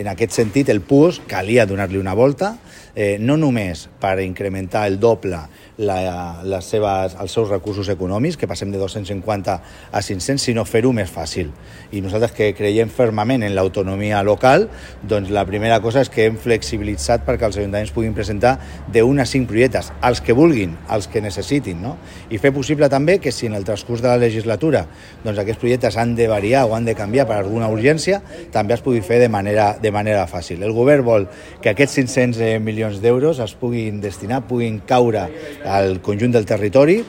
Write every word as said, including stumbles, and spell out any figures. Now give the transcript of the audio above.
En aquest sentit, el P U S calia donar-li una volta, eh, no només per incrementar el doble la, les seves, els seus recursos econòmics, que passem de dos-cents cinquanta a cinc-cents, sinó fer-ho més fàcil. I nosaltres, que creiem fermament en l'autonomia local, doncs la primera cosa és que hem flexibilitzat perquè els ajuntaments puguin presentar d'un a cinc projectes, els que vulguin, els que necessitin, no? I fer possible també que si en el transcurs de la legislatura doncs aquests projectes han de variar o han de canviar per alguna urgència, també es pugui fer de manera, de manera fàcil. El govern vol que aquests cinc-cents milions d'euros es puguin destinar, puguin caure al conjunt del territori